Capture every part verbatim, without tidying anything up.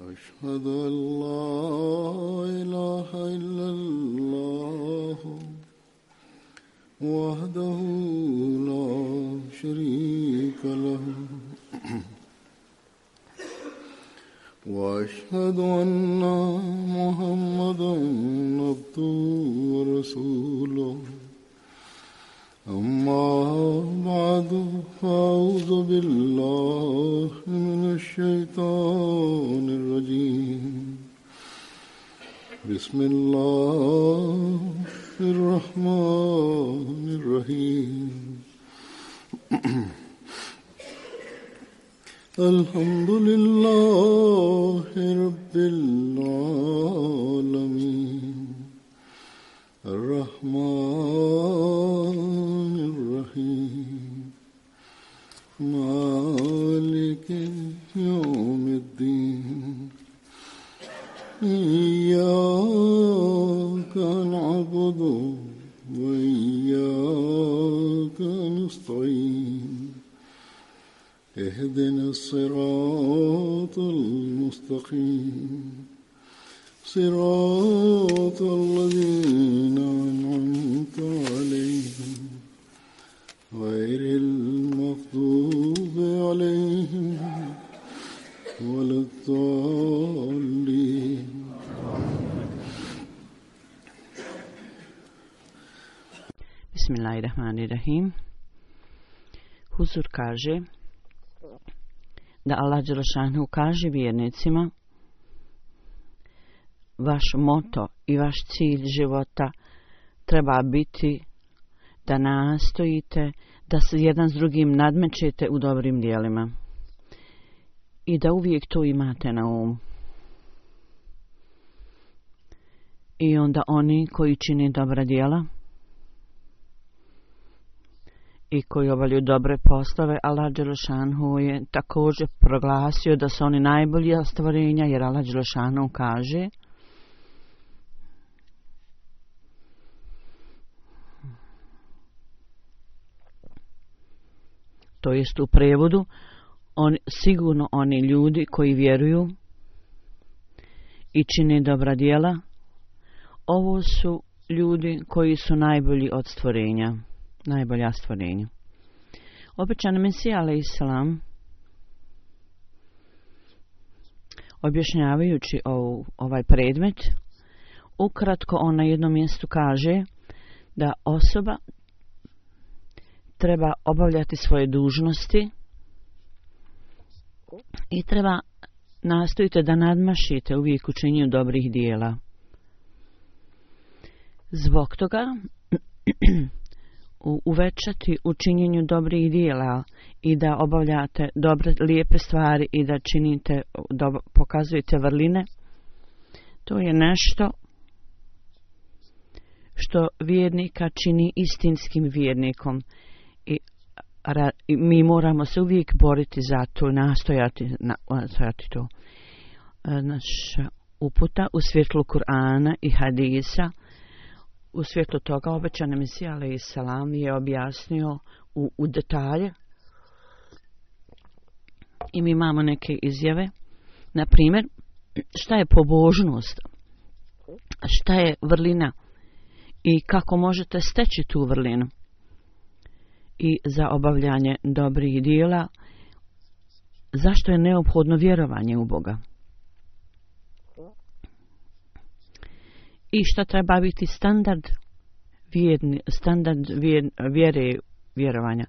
أشهد أن لا إله إلا الله وحده لا شريك له وأشهد أن محمدا عبده ورسوله أما بعد فأعوذ بالله من الشيطان الرجيم بسم الله الرحمن الرحيم الحمد لله رب العالمين الرحمن الرحيم مالك يوم الدين إياك نعبد وإياك نستعين اهدنا الصراط المستقيم صراط الذين أنعمت عليهم غير المغضوب عليهم ولا الضالين. Bismillahirrahmanirrahim. Huzur kaže da Allah dželešanu kaže vjernicima: vaš moto i vaš cilj života treba biti da nastojite da se jedan s drugim nadmećete u dobrim djelima i da uvijek to imate na umu. I onda oni koji čine dobra djela i koji obavljaju dobre poslove, Allah dželešanu je također proglasio da su oni najbolji stvorenja, jer Allah dželešanu kaže: to jest u prijevodu, on, sigurno oni ljudi koji vjeruju i čine dobra djela, ovo su ljudi koji su najbolji od stvorenja, najbolja stvorenja. Obećani Mesija alejhiselam, objašnjavajući ovu, ovaj predmet, ukratko on na jednom mjestu kaže da osoba treba obavljati svoje dužnosti i treba nastojite da nadmašite uvijek u činjenju dobrih dijela. Zbog toga uvećati u činjenju dobrih dijela i da obavljate dobre, lijepe stvari i da činite, da pokazujete vrline, to je nešto što vjernika čini istinskim vjernikom. I, ra, i mi moramo se uvijek boriti za to, nastojati, nastojati to. Naša uputa u svjetlu Kur'ana i hadisa, u svjetlu toga obećani Mesija alejhiselam je objasnio u, u detalje. I mi imamo neke izjave. Na primjer, šta je pobožnost, šta je vrlina i kako možete steći tu vrlinu. I za obavljanje dobrih djela, zašto je neophodno vjerovanje u Boga. I šta treba biti standard, vjerni, standard vjer, vjere vjerovanja.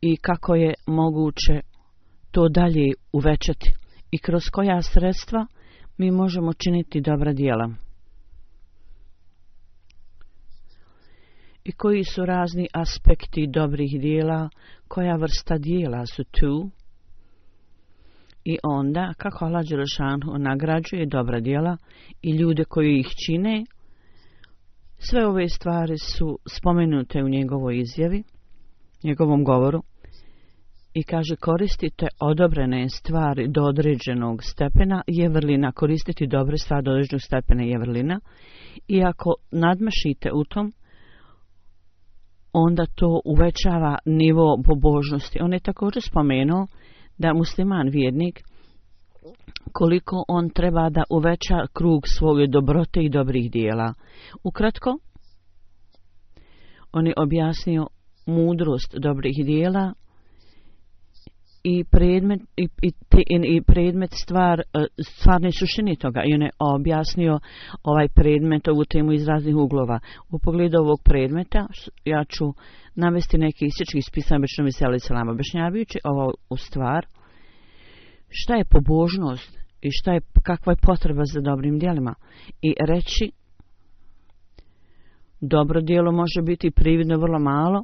I kako je moguće to dalje uvećati. I kroz koja sredstva mi možemo činiti dobra djela. I koji su razni aspekti dobrih djela, koja vrsta djela su tu. I onda, kako Allah dželešanu nagrađuje dobra djela i ljude koji ih čine, sve ove stvari su spomenute u njegovoj izjavi, njegovom govoru. I kaže, koristite odobrene stvari do određenog stepena je vrlina. Koristiti dobre stvari do određenog stepena je vrlina. I ako nadmašite u tom, onda to uvećava nivo pobožnosti. On je također spomenuo da musliman vjernik koliko on treba da uveća krug svoje dobrote i dobrih dijela. Ukratko, on je objasnio mudrost dobrih dijela i predmet, i, i, i predmet stvar, stvarne suštine toga. I on je objasnio ovaj predmet, ovu temu iz raznih uglova. U pogledu ovog predmeta ja ću navesti neki isječki iz pisama Bečnom i Seli Selama, objašnjavajući ovo u stvar. Šta je pobožnost i šta je, kakva je potreba za dobrim djelima. I reći, dobro djelo može biti prividno vrlo malo,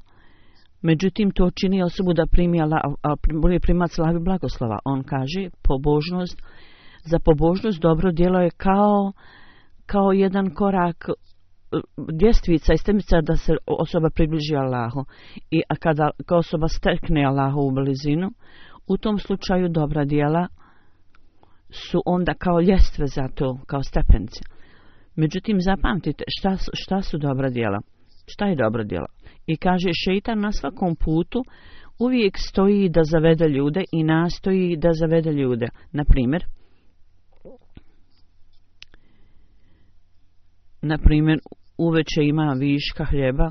međutim to čini osobu da primi Allah, primac Allahovi blagoslova. On kaže, pobožnost, za pobožnost dobro djelo je kao, kao jedan korak, ljestvica i stepnica da se osoba približi Allahu. I a kada osoba stekne Allahu u blizinu, u tom slučaju dobra djela su onda kao ljestve za to, kao stepenice. Međutim, zapamtite šta su, šta su dobra djela. Šta je dobro djelo? I kaže, šeitan na svakom putu uvijek stoji da zavede ljude i nastoji da zavede ljude. Na primjer, na primjer, uveče ima viška hljeba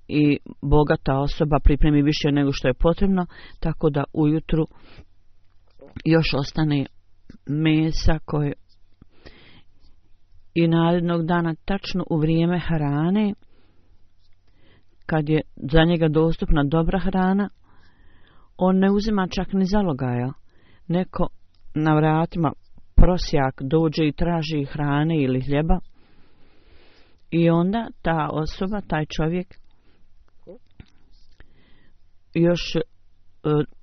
i bogata osoba pripremi više nego što je potrebno, tako da ujutru još ostane mesa koje i narednog dana tačno u vrijeme hrane, kad je za njega dostupna dobra hrana, on ne uzima čak ni zalogaja. Neko na vratima prosjak dođe i traži hrane ili hljeba i onda ta osoba, taj čovjek još e,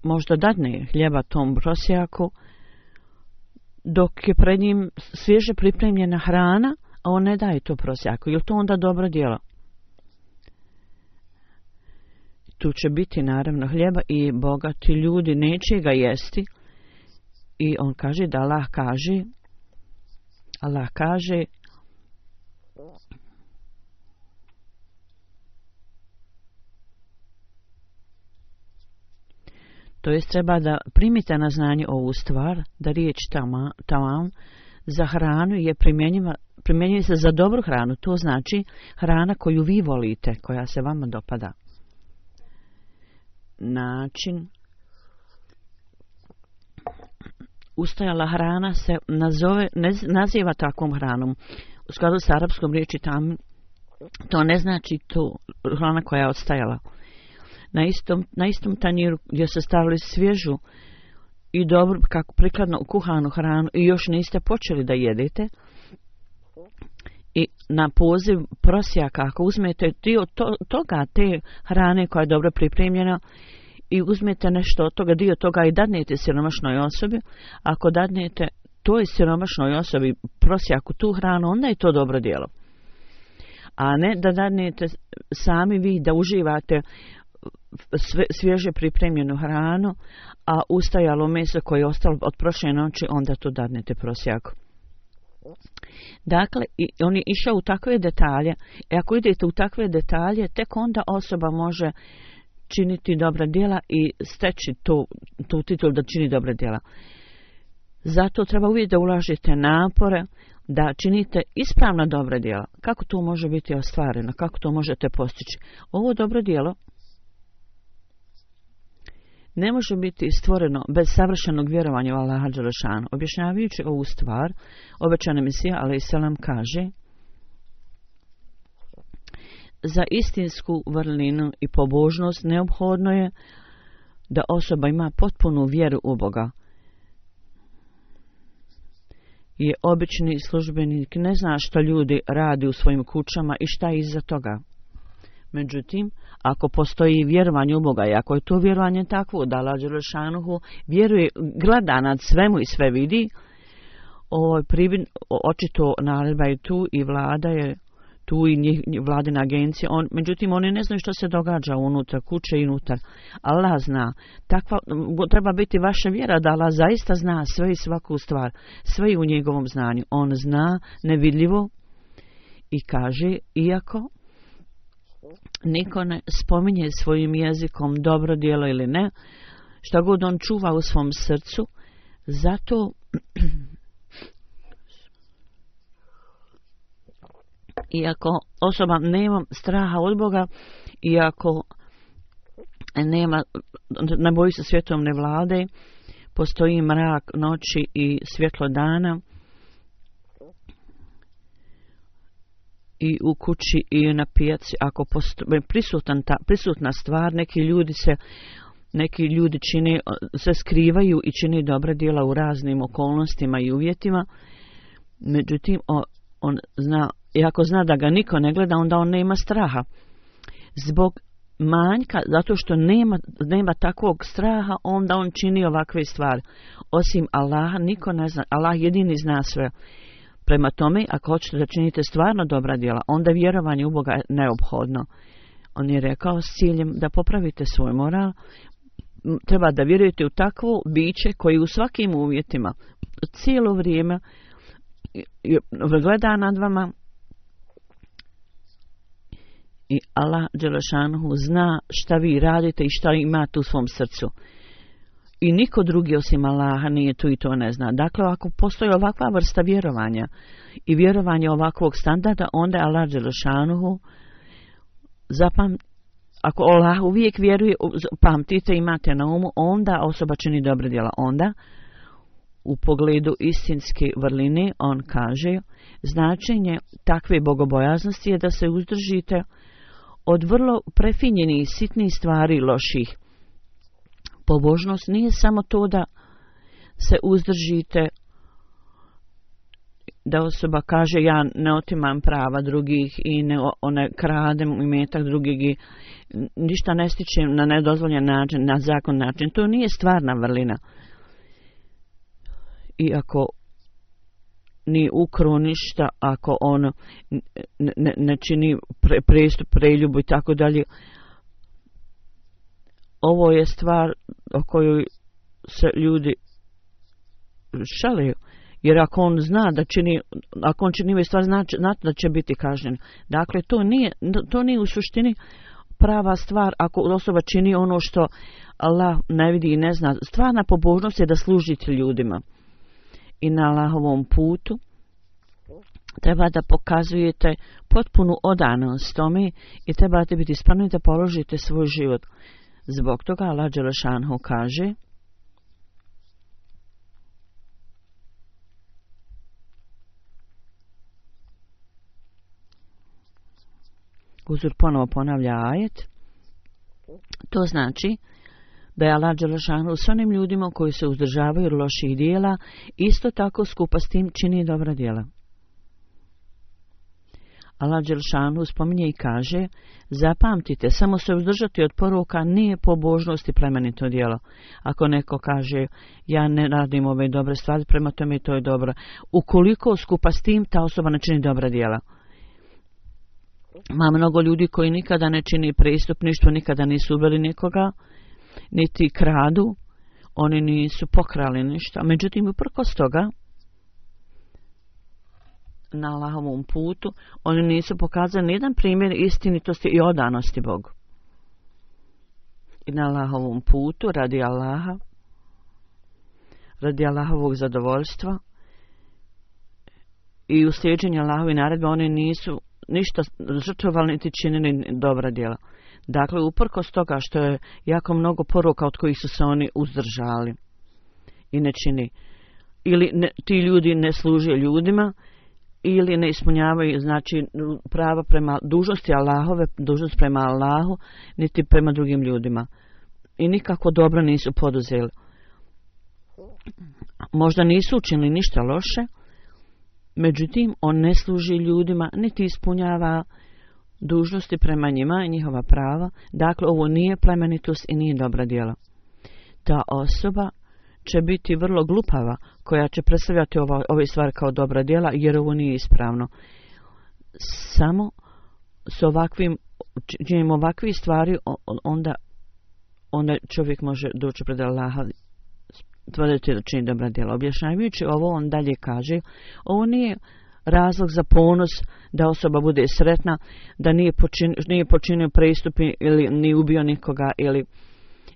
možda dadne hljeba tom prosjaku dok je pred njim svježe pripremljena hrana, a on ne daje to prosjaku. Je li to onda dobro djelo? Tu će biti naravno hljeba i bogati ljudi neće ga jesti. I on kaže da Allah kaže, Allah kaže, to jest treba da primite na znanje ovu stvar, da riječ tamam, tamam za hranu je primjenjiva, primjenjuje se za dobru hranu. To znači hrana koju vi volite, koja se vama dopada. Način ustajala hrana se nazove, ne, naziva takvom hranom. U skladu s arapskom riječi tam, to ne znači to hrana koja je odstajala. Na istom, na istom tanjiru gdje se stavili svježu i dobro, kako prikladno kuhanu hranu i još niste počeli da jedete, i na poziv prosjaka, ako uzmete dio to, toga, te hrane koja je dobro pripremljena i uzmete nešto od toga, dio toga i dadnete siromašnoj osobi, ako dadnete toj siromašnoj osobi prosjaku tu hranu, onda je to dobro djelo. A ne da dadnete sami vi da uživate sve, svježe pripremljenu hranu, a ustajalo meso koje je ostalo od prošle noći, onda to dadnete prosjaku. Dakle, on je išao u takve detalje, i ako idete u takve detalje, tek onda osoba može činiti dobra djela i steći tu, tu titul da čini dobra djela. Zato treba uvijek da ulažete napore, da činite ispravna dobra djela. Kako to može biti ostvareno? Kako to možete postići? Ovo dobro djelo ne može biti stvoreno bez savršenog vjerovanja u Allaha dželešanu. Objašnjavajući ovu stvar, obećani Mesija alejhi selam kaže: za istinsku vrlinu i pobožnost neophodno je da osoba ima potpunu vjeru u Boga. Je obični službenik ne zna što ljudi radi u svojim kućama i šta je iza toga. Međutim, ako postoji vjerovanje u Boga i ako je to vjerovanje takvo da Allah dželešanuhu vjeruje, gleda nad svemu i sve vidi, ovo pribin, očito naredba je tu i vlada je tu i njih, vladina agencija. On, međutim, oni ne znaju što se događa unutar kuće i unutar. Allah zna. Takva, treba biti vaša vjera da Allah zaista zna sve i svaku stvar. Sve u njegovom znanju. On zna nevidljivo i kaže, iako niko ne spominje svojim jezikom dobro djelo ili ne, šta god on čuva u svom srcu, zato Iako osoba nema straha od Boga, iako nema, ne boji se svjetovne vlade, postoji mrak noći i svjetlo dana, i u kući i na pijaci, ako postoji prisutan ta, prisutna stvar, neki ljudi se neki ljudi čine, se skrivaju i čine dobra djela u raznim okolnostima i uvjetima. Međutim, on, on zna, i ako zna da ga niko ne gleda, onda on nema straha. Zbog manjka, zato što nema, nema takvog straha, onda on čini ovakve stvari. Osim Allaha, niko ne zna, Allah jedini zna sve. Prema tome, ako hoćete da činite stvarno dobra djela, onda vjerovanje u Boga je neophodno. On je rekao s ciljem da popravite svoj moral, treba da vjerujete u takvo biće koji u svakim uvjetima cijelo vrijeme gleda nad vama i Allah dželešanhu zna šta vi radite i šta imate u svom srcu. I niko drugi osim Allaha nije tu i to ne zna. Dakle, ako postoji ovakva vrsta vjerovanja i vjerovanje ovakvog standarda, onda je Allah dželešanhu zapam, ako Allah uvijek vjeruje, pamtite, imate na umu, onda osoba čini dobre djela. Onda, u pogledu istinske vrline, on kaže, značenje takve bogobojaznosti je da se uzdržite od vrlo prefinjenih sitnih stvari loših. Pobožnost nije samo to da se uzdržite, da osoba kaže ja ne otimam prava drugih i ne, ne kradem imetak drugih i ništa ne stičem na nedozvoljen način, na zakon način. To nije stvarna vrlina. I ako ni ukro ništa, ako on ne, ne, ne čini pre, prestup, preljubu i tako dalje, ovo je stvar o kojoj se ljudi šaliju. Jer ako on zna da čini, ako on čini ove stvari, znači, znači da će biti kažnjen. Dakle, to nije, to nije u suštini prava stvar ako osoba čini ono što Allah ne vidi i ne zna. Stvarna pobožnost je da služite ljudima. I na Allahovom putu treba da pokazujete potpunu odanost tome i trebate biti spremni da položite svoj život. Zbog toga Allah dželešanhu kaže Uzur ponovo ponavlja ajet. To znači da je Allah dželešanhu s onim ljudima koji se uzdržavaju od loših dijela, isto tako skupa s tim čini dobra djela. Allah dželešanhu spominje i kaže, zapamtite, samo se uzdržati od poroka nije pobožnost i plemenito djelo. Ako neko kaže, ja ne radim ove dobre stvari, prema tome to je dobro. Ukoliko skupa s tim ta osoba ne čini dobra djela. Ima mnogo ljudi koji nikada ne čini prestupništvo, nikada nisu ubili nikoga, niti kradu, oni nisu pokrali ništa. Međutim, uprkos toga, na Allahovom putu, oni nisu pokazali nijedan primjer istinitosti i odanosti Bogu. I na Allahovom putu, radi Allaha, radi Allahovog zadovoljstva i u slijeđenju Allahove naredbe, oni nisu ništa žrtvovali niti činili dobra djela. Dakle, uprkos toga što je jako mnogo poruka od kojih su se oni uzdržali i ne čini. Ili ne, ti ljudi ne služe ljudima, ili ne ispunjavaju, znači, prava prema dužnosti Allahove, dužnost prema Allahu, niti prema drugim ljudima. I nikako dobro nisu poduzeli. Možda nisu učinili ništa loše, međutim, on ne služi ljudima, niti ispunjava dužnosti prema njima i njihova prava. Dakle, ovo nije plemenitost i nije dobra djela. Ta osoba će biti vrlo glupava koja će predstavljati ova, ove stvari kao dobra djela, jer ovo nije ispravno. Samo s ovakvim, činimo ovakve stvari, onda, onda čovjek može doći pred Allaha, tvrditi da čini dobra djela. Objašnjavajući ovo, on dalje kaže, ovo nije razlog za ponos da osoba bude sretna, da nije počinio, nije počinio prestupi ili nije ubio nikoga ili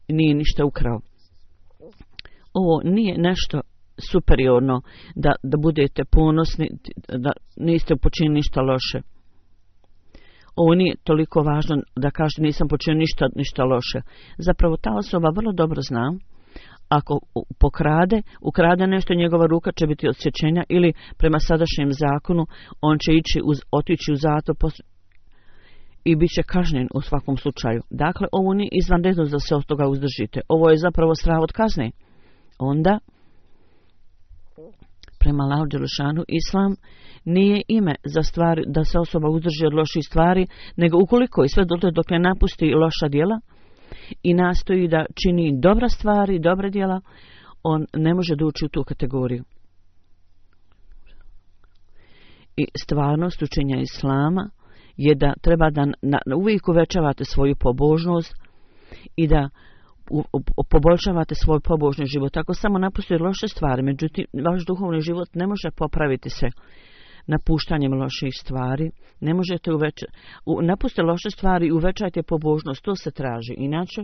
nije ništa ukrao. Ovo nije nešto superiorno da, da budete ponosni, da niste počinili ništa loše. ovo nije toliko važno da kaže nisam počinio ništa, ništa loše. Zapravo ta osoba vrlo dobro zna, ako pokrade, ukrade nešto, njegova ruka će biti odsječenja ili prema sadašnjem zakonu on će ići uz, otići u zatvor i bit će kažnjen u svakom slučaju. Dakle, ovo nije izvanredno da se od toga uzdržite. Ovo je zapravo strah od kazne. Onda, prema Allahu dželešanu, islam nije ime za stvari da se osoba uzdrži od loših stvari, nego ukoliko i sve dotle dok ne napusti loša djela i nastoji da čini dobra stvari, dobre djela, on ne može da uči u tu kategoriju. I stvarnost učenja islama je da treba da na, na, uvijek uvećavate svoju pobožnost i da u, u, poboljšavate svoj pobožni život. Ako samo napustite loše stvari, međutim, vaš duhovni život ne može popraviti se napuštanjem loših stvari. Ne možete uvećati. Napustite loše stvari i uvećajte pobožnost. To se traži. Inače,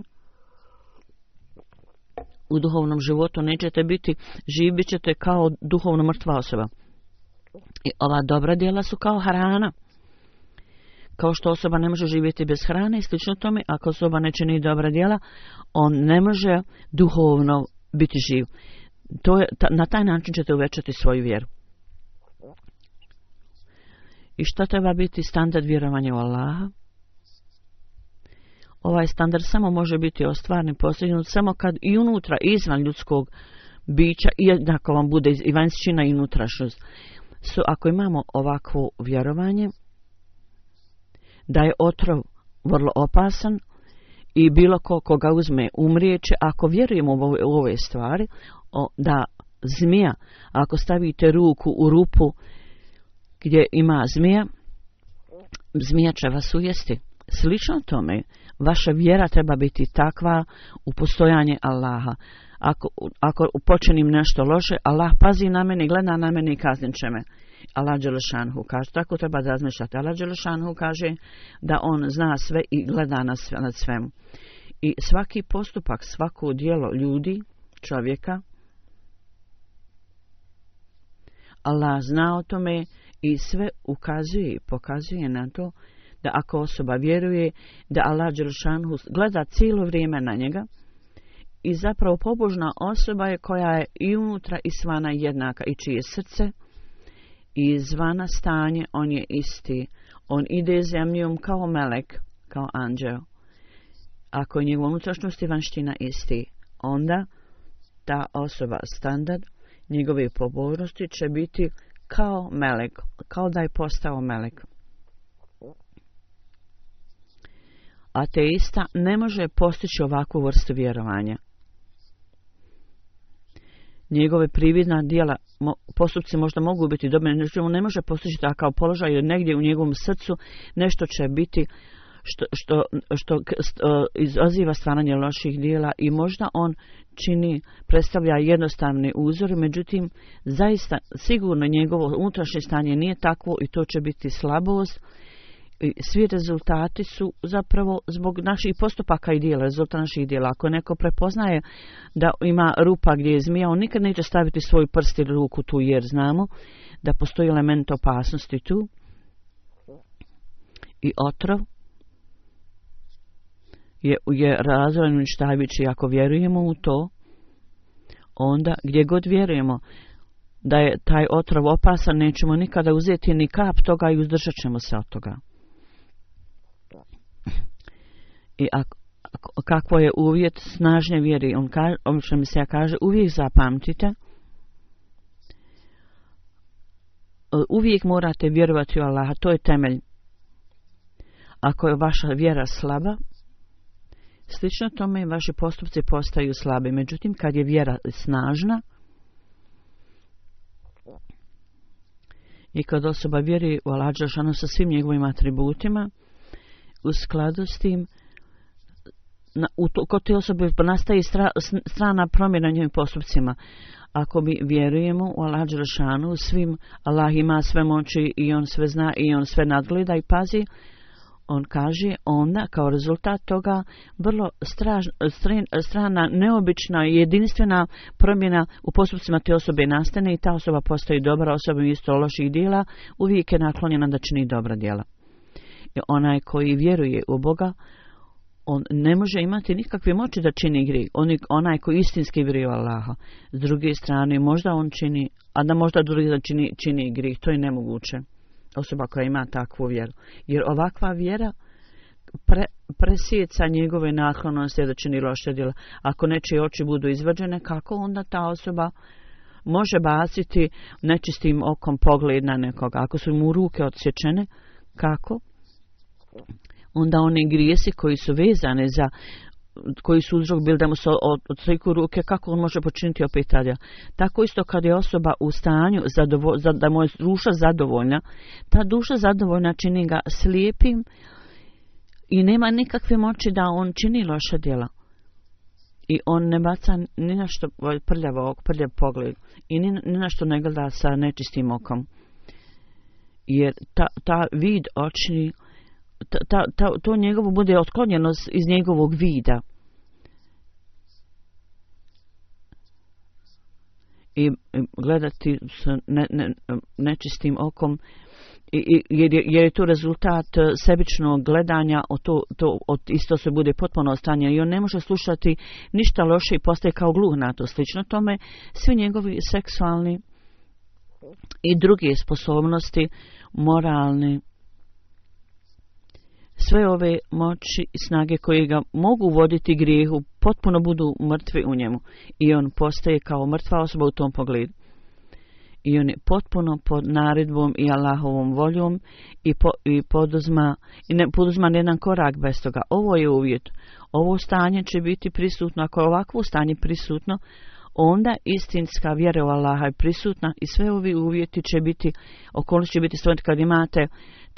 u duhovnom životu nećete biti živi, bit ćete kao duhovno mrtva osoba. I ova dobra djela su kao hrana. Kao što osoba ne može živjeti bez hrane i slično tome, ako osoba ne čini dobra djela, on ne može duhovno biti živ. To je, ta, na taj način ćete uvećati svoju vjeru. I šta treba biti standard vjerovanja u Allaha? Ovaj standard samo može biti ostvaren, postignut samo kad i unutra, i izvan ljudskog bića, i jednako vam bude i vanjština i unutrašnjost. So, ako imamo ovakvo vjerovanje, da je otrov vrlo opasan i bilo ko koga uzme umrijeće, ako vjerujemo u ove, u ove stvari, o, da zmija, ako stavite ruku u rupu gdje ima zmija, zmija će vas ujesti. Slično tome, vaša vjera treba biti takva u postojanje Allaha. Ako, ako počinim nešto loše, Allah pazi na mene, gleda na mene i kaznit će me. Allah dželešanhu kaže, tako treba da razmišljate. Allah dželešanhu kaže da on zna sve i gleda na sve, nad svemu. I svaki postupak, svako djelo ljudi, čovjeka, Allah zna o tome i sve ukazuje i pokazuje na to da ako osoba vjeruje da Allah dželešanhu gleda cijelo vrijeme na njega i zapravo pobožna osoba je koja je i unutra i svana jednaka i čije srce i izvana stanje, on je isti. On ide zemljom kao melek, kao anđeo. Ako je njegova unutrašnjost i vanština isti, onda ta osoba standard njegove pobožnosti će biti kao melek, kao da je postao melek. Ateista ne može postići ovakvu vrstu vjerovanja. Njegove prividna djela, postupci možda mogu biti dobri, no ne može postići takav položaj, jer negdje u njegovom srcu nešto će biti što, što, što, što izaziva stvaranje loših djela i možda on čini, predstavlja jednostavne uzore, međutim, zaista sigurno njegovo unutrašnje stanje nije takvo i to će biti slabost. I svi rezultati su zapravo zbog naših postupaka i djela, rezultat naših djela. Ako neko prepoznaje da ima rupa gdje je zmija, on nikad neće staviti svoj prst ili ruku tu, jer znamo da postoji element opasnosti tu i otrov je, je razvojen uništavajući. Ako vjerujemo u to, onda gdje god vjerujemo da je taj otrov opasan, nećemo nikada uzeti ni kap toga i uzdržat ćemo se od toga. I ako, ako, kakvo je uvjet snažne vjeri, on kaže, što mi se ja kaže, uvijek zapamtite, uvijek morate vjerovati u Allaha, to je temelj. Ako je vaša vjera slaba, slično tome vaši postupci postaju slabi. Međutim, kad je vjera snažna i kad osoba vjeri u Allaha dželešanu sa svim njegovim atributima, u skladu s tim, na, u to, kod te osobe nastaje stra, strana promjena njegovim postupcima. Ako mi vjerujemo u Allaha dželešanu, svim, Allah ima sve moći i on sve zna i on sve nadgleda i pazi, on kaže, onda kao rezultat toga vrlo straž, stren, strana, neobična i jedinstvena promjena u postupcima te osobe nastane i ta osoba postaje dobra osoba isto loših djela, uvijek je naklonjena da čini dobra djela. I onaj koji vjeruje u Boga, on ne može imati nikakve moći da čini grijeh. On, onaj koji istinski vjeruje u Allaha. S druge strane, možda on čini, a da možda drugi da čini, čini grijeh. To je nemoguće. Osoba koja ima takvu vjeru. Jer ovakva vjera pre, presjeca njegove naklonosti da čini loše djela. Ako nečije oči budu izvađene, kako onda ta osoba može baciti nečistim okom pogled na nekoga? Ako su mu ruke odsječene, kako? Onda one grijesi koji su vezane za, koji su uzrok bili da mu se od, odstriku ruke, kako on može počiniti opet tada? Tako isto kad je osoba u stanju zadovo, za, da mu je duša zadovoljna, ta duša zadovoljna čini ga slijepim i nema nikakve moći da on čini loša djela. I on ne baca ni na što prljavo, prljav pogled i ni, ni na što ne gleda sa nečistim okom. Jer ta, ta vid očni, ta, ta, ta, to njegovo bude otklonjeno iz njegovog vida. I gledati s ne, ne, nečistim okom, I, jer, je, jer je to rezultat sebičnog gledanja, o to, to od isto se bude potpuno ostanje i on ne može slušati ništa loše i postaje kao gluh na to. Slično tome, svi njegovi seksualni i druge sposobnosti, moralni, sve ove moći i snage koje ga mogu voditi grijehu, potpuno budu mrtvi u njemu i on postaje kao mrtva osoba u tom pogledu. I on je potpuno pod naredbom i Allahovom voljom i, po, i poduzma i ne poduzma jedan korak bez toga. Ovo je uvjet. Ovo stanje će biti prisutno. Ako je ovakvo stanje prisutno, onda istinska vjera u Allaha je prisutna i sve ovi uvjeti će biti, okolnosti će biti stvoriti kad imate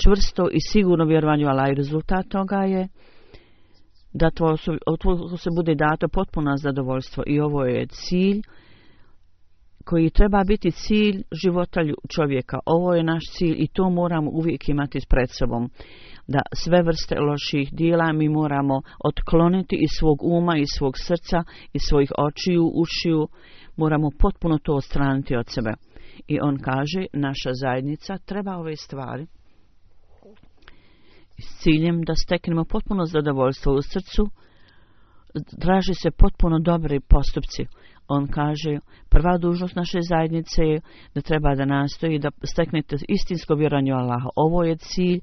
čvrsto i sigurno vjerovanje u Allaha. I rezultat toga je da to se bude dato potpuno zadovoljstvo. I ovo je cilj koji treba biti cilj života čovjeka. Ovo je naš cilj i to moramo uvijek imati pred sobom. Da sve vrste loših dijela mi moramo otkloniti iz svog uma, iz svog srca, iz svojih očiju, ušiju. Moramo potpuno to odstraniti od sebe. I on kaže, naša zajednica treba ove stvari s ciljem da steknemo potpuno zadovoljstvo u srcu. Traži se potpuno dobri postupci. On kaže, prva dužnost naše zajednice je da treba da nastoji da steknete istinsko vjerovanje u Allaha. Ovo je cilj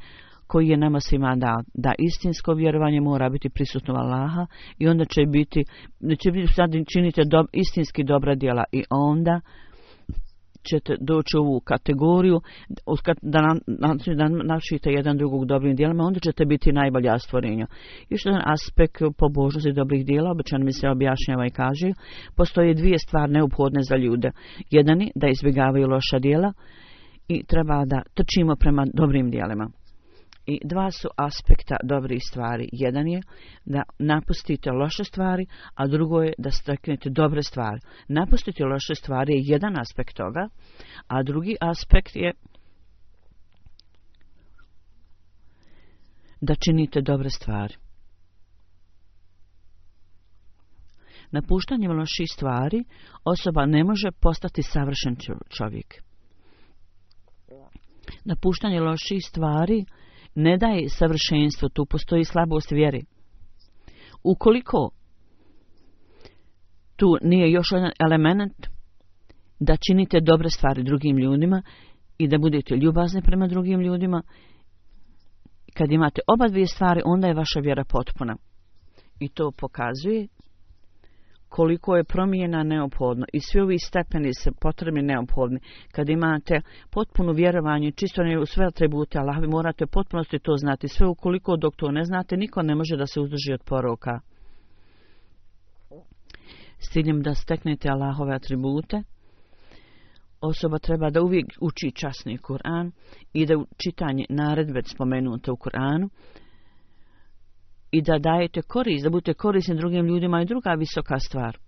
koji je nama svima dao. Da istinsko vjerovanje mora biti prisutno u Allaha i onda će biti, će biti sad činite do, istinski dobra djela i onda ćete doći u ovu kategoriju da, na, da načite jedan drugog dobrim djelima, onda ćete biti najbolja stvorenja. Još jedan aspekt pobožnosti dobrih djela, obično mi se objašnjava i kaže, postoje dvije stvari neophodne za ljude. Jedan je da izbjegavaju loša djela i treba da trčimo prema dobrim djelima. I dva su aspekta dobrih stvari. Jedan je da napustite loše stvari, a drugo je da steknete dobre stvari. Napustiti loše stvari je jedan aspekt toga, a drugi aspekt je da činite dobre stvari. Napuštanjem loših stvari osoba ne može postati savršen čovjek. Napuštanje loših stvari ne daje savršenstvo, tu postoji slabost vjeri. Ukoliko tu nije još jedan element da činite dobre stvari drugim ljudima i da budete ljubazni prema drugim ljudima, kad imate oba dvije stvari, onda je vaša vjera potpuna. I to pokazuje koliko je promjena neophodno i svi ovi stepeni se potrebni neophodni. Kad imate potpuno vjerovanje, čisto u sve atribute Allaha, vi morate potpunosti to znati. Sve ukoliko dok to ne znate, niko ne može da se uzdrži od poroka. S ciljem da steknete Allahove atribute, osoba treba da uvijek uči časni Kur'an i da čitanje naredbe spomenute u Kur'anu i da dajete korist, da budete korisni drugim ljudima i druga visoka stvar.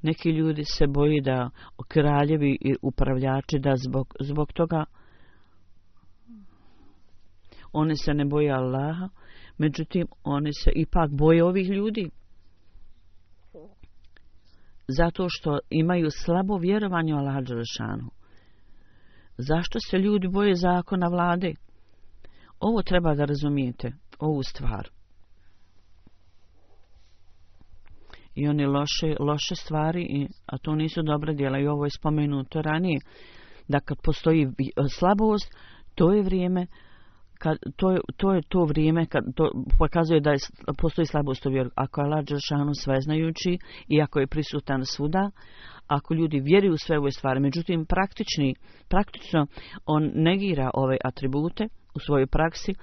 Neki ljudi se boji da kraljevi i upravljači da zbog, zbog toga oni se ne boje Allaha, međutim oni se ipak boje ovih ljudi. Zato što imaju slabo vjerovanje u Allaha dželešanu. Zašto se ljudi boje zakona vlade? Ovo treba da razumijete, ovu stvar. I one loše, loše stvari, a to nisu dobra djela, i ovo je spomenuto ranije, da kad postoji slabost, to je vrijeme, kad, to, je, to je to vrijeme kad to pokazuje da je, postoji slabost u vjeru. Ako je Allah dželešanu sveznajući i ako je prisutan svuda, ako ljudi vjeruju u sve ove stvari, međutim praktični, praktično on negira ove atribute u svojoj praksi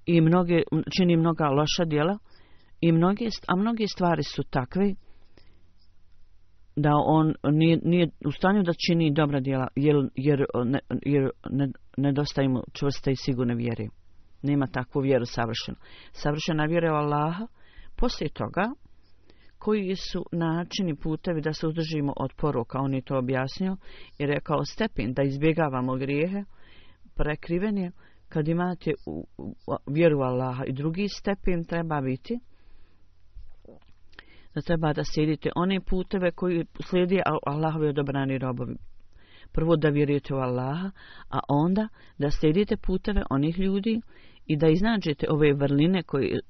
i mnoge, čini mnoga loša djela, i mnoge, a mnoge stvari su takve da on nije, nije u stanju da čini dobra djela, jer, jer, ne, jer ne, nedostaje mu čvrste i sigurne vjere. Nema takvu vjeru savršenu. Savršena vjera u Allaha, poslije toga, koji su načini, putevi da se uzdržimo od poroka, on je to objasnio i rekao stepen da izbjegavamo grijehe, prekriven je kad imate u, u, vjeru u Allaha, i drugi stepen treba biti da treba da slijedite one puteve koji slijedi Allahovi odabrani robovi. Prvo da vjerujete u Allaha, a onda da slijedite puteve onih ljudi i da iznađete ove vrline koje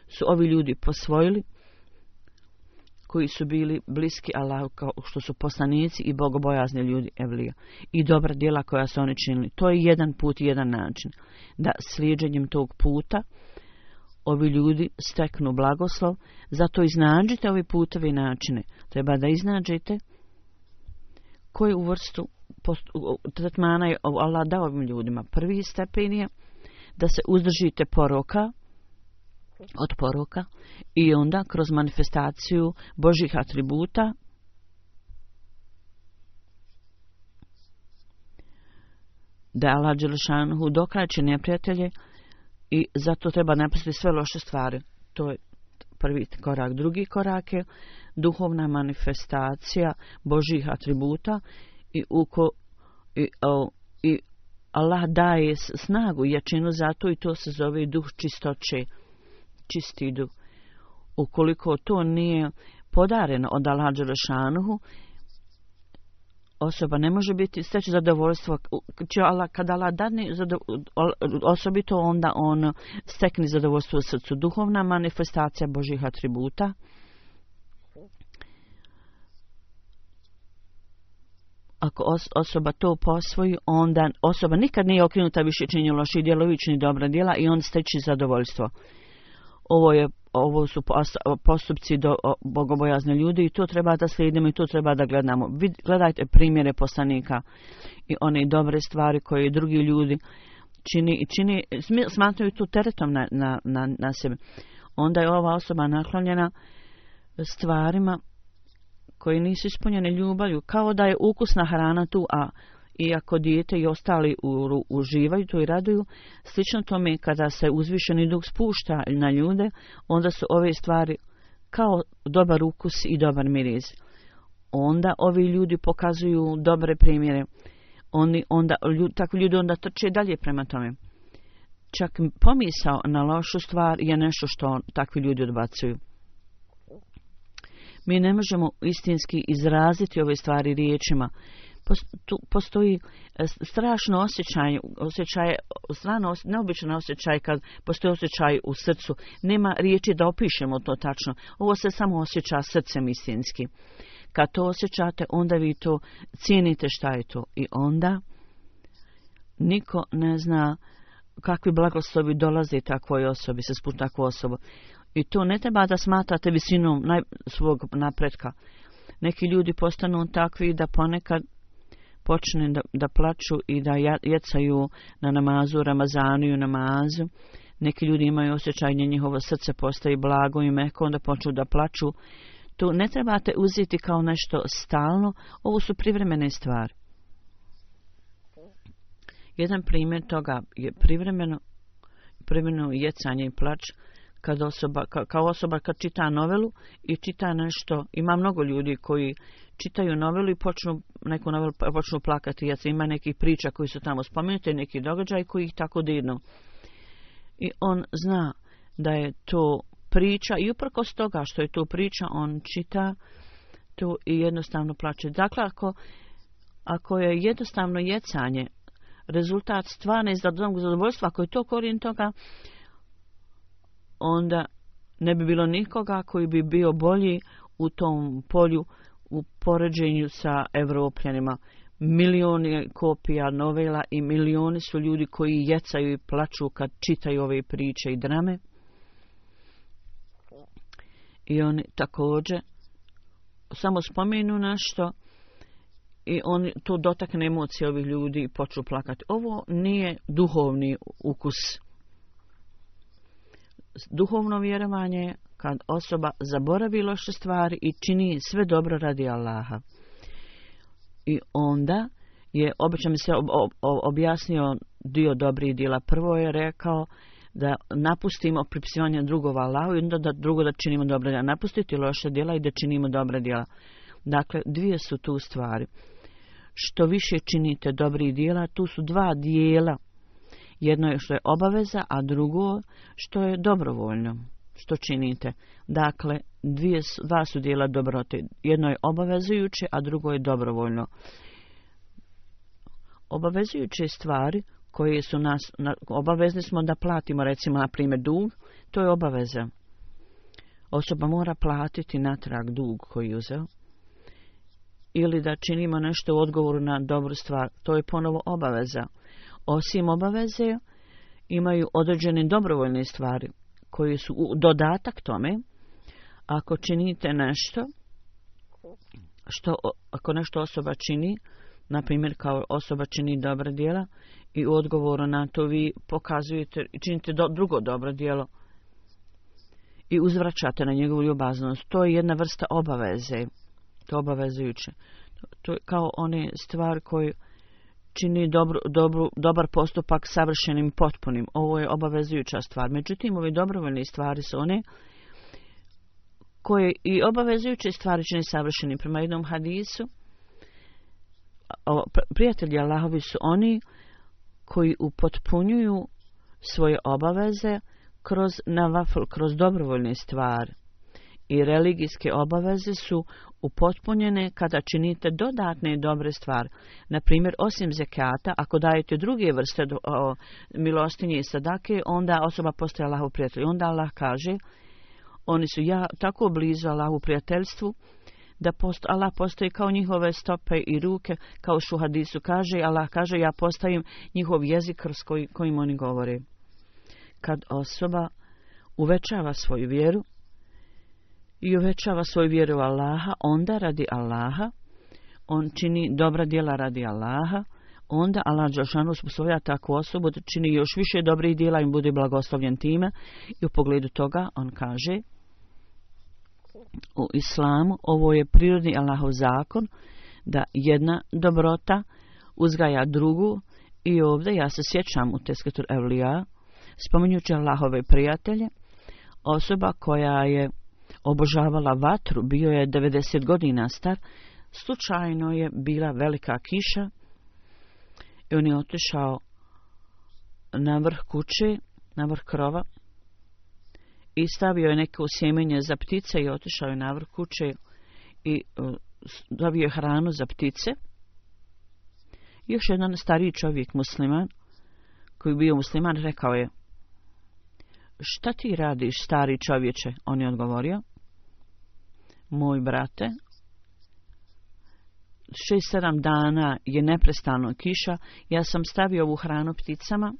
su ovi ljudi posvojili, koji su bili bliski Allahu kao što su poslanici i bogobojazni ljudi evlija. I dobra djela koja su oni činili. To je jedan put i jedan način. Da slijeđenjem tog puta ovi ljudi steknu blagoslov, zato iznađite ovi putevi i načine. Treba da iznađete koju vrstu tretmana je Allah dao ovim ljudima. Prvi stepen je da se uzdržite poroka, od poroka, i onda kroz manifestaciju Božjih atributa da Allah dželešanu dokrajče neprijatelje, i zato treba napustiti sve loše stvari. To je prvi korak. Drugi korak je duhovna manifestacija Božjih atributa i, uko, i, o, i Allah daje snagu i jačinu za to, i to se zove duh čistoće, čisti duh. Ukoliko to nije podareno od Allaha dželešanu, osoba ne može biti steći zadovoljstvo. Kada Allah dadne osobito, onda on stekne zadovoljstvo u srcu. Duhovna manifestacija Božjih atributa. Ako osoba to posvoji, onda osoba nikad nije okrenuta više činjenju loših djela, ni dobra djela, i on steći zadovoljstvo. Ovo je Ovo su postupci do bogobojazne ljudi, i to treba da slijedimo i to treba da gledamo. Gledajte primjere poslanika i one dobre stvari koje drugi ljudi čini i čini, smatraju tu teretom na, na, na, na sebe. Onda je ova osoba naklonjena stvarima koje nisu ispunjene ljubavlju, kao da je ukusna hrana tu, a iako dijete i ostali u, uživaju to i raduju. Slično tome, kada se uzvišeni duh spušta na ljude, onda su ove stvari kao dobar ukus i dobar miris. Onda ovi ljudi pokazuju dobre primjere. Oni, onda, ljud, takvi ljudi onda trče dalje prema tome. Čak pomisao na lošu stvar je nešto što takvi ljudi odbacuju. Mi ne možemo istinski izraziti ove stvari riječima. Postoji strašno osjećaj, osjećaj, strano, neobičan osjećaj kad postoji osjećaj u srcu. Nema riječi da opišemo to tačno. Ovo se samo osjeća srcem istinski. Kad to osjećate, onda vi to cijenite šta je to. I onda niko ne zna kakvi blagoslovi dolaze takvoj osobi, se spušta takvu osobu. I to ne treba da smatrate visinom naj, svog napretka. Neki ljudi postanu takvi da ponekad počne da, da plaču i da jecaju na namazu, Ramazanu i namazu. Neki ljudi imaju osjećaj da njihovo srce postaje blago i meko, onda počnu da plaču. To ne trebate uzeti kao nešto stalno, ovo su privremene stvari. Jedan primjer toga je privremeno, privremeno jecanje i plač, kad osoba, ka, kao osoba kad čita novelu i čita nešto. Ima mnogo ljudi koji čitaju novelu i počnu neku novelu počnu plakati. Ja ima nekih priča koji su tamo spomenuti, neki događaj koji ih tako dirnu. I on zna da je to priča i uprkos toga što je to priča, on čita to i jednostavno plače. Dakle, ako, ako je jednostavno jecanje rezultat stvarne zadovoljstva, ako je to korijen toga, onda ne bi bilo nikoga koji bi bio bolji u tom polju u poređenju sa Evropljanima. Milioni kopija novela i milioni su ljudi koji jecaju i plaču kad čitaju ove priče i drame. I oni također samo spomenu nešto i oni to dotakne emocije ovih ljudi i počnu plakati. Ovo nije duhovni ukus. Duhovno vjerovanje kad osoba zaboravi loše stvari i čini sve dobro radi Allaha. I onda je, obično mi se ob, ob, objasnio dio dobrih djela. Prvo je rekao da napustimo pripisivanje drugova Allahu i onda da drugo da činimo dobra djela. Napustiti loše djela i da činimo dobra djela. Dakle, dvije su tu stvari. Što više činite dobrih djela, tu su dva dijela. Jedno je što je obaveza, a drugo što je dobrovoljno. Što činite. Dakle, dvije, dva su dijela dobrote. Jedno je obavezujuće, a drugo je dobrovoljno. Obavezujuće stvari koje su nas, na, obavezni smo da platimo, recimo, na primjer, dug, to je obaveza. Osoba mora platiti natrag dug koji je uzeo. Ili da činimo nešto u odgovoru na dobru stvar, to je ponovo obaveza. Osim obaveze, imaju određene dobrovoljne stvari koji su dodatak tome. Ako činite nešto, što, ako nešto osoba čini, na primjer kao osoba čini dobra djela i u odgovoru na to vi pokazujete i činite do, drugo dobro djelo i uzvraćate na njegovu ljubaznost, to je jedna vrsta obaveze. To je obavezujuće. To je kao one stvari koje čini dobru, dobru, dobar postupak savršenim i potpunim. Ovo je obavezujuća stvar. Međutim, ove dobrovoljne stvari su one koje i obavezujuće stvari čini savršenim. Prema jednom hadisu, prijatelji Allahovi su oni koji upotpunjuju svoje obaveze kroz navafl, kroz dobrovoljne stvari. I religijske obaveze su upotpunjene kada činite dodatne dobre stvari. Na primjer, osim zekata, ako dajete druge vrste do, o, milostinje i sadake, onda osoba postaje Allahov prijatelj. Onda Allah kaže, oni su ja tako blizu Allahu prijateljstvu, da post, Allah postoji kao njihove stope i ruke, kao što u hadisu kaže, Allah kaže, ja postavim njihov jezik kroz koji, kojim oni govore. Kad osoba uvećava svoju vjeru, i uvećava svoju vjeru u Allaha, onda radi Allaha, on čini dobra djela radi Allaha, onda Allah dželešanu uspostavlja takvu osobu da čini još više dobrih djela i bude blagoslovljen time. I u pogledu toga on kaže, u islamu ovo je prirodni Allahov zakon da jedna dobrota uzgaja drugu. I ovdje ja se sjećam u Tesketur Evlija, spominjući Allahove prijatelje, osoba koja je obožavala vatru, bio je devedeset godina star, slučajno je bila velika kiša i on je otišao na vrh kuće, na vrh krova i stavio je neko sjemenje za ptice i otišao je na vrh kuće i uh, dobio je hranu za ptice. Još jedan stariji čovjek, musliman, koji bio musliman, rekao je, šta ti radiš, stari čovječe? On je odgovorio, moj brate, šest, sedam dana je neprestano kiša, ja sam stavio ovu hranu pticama.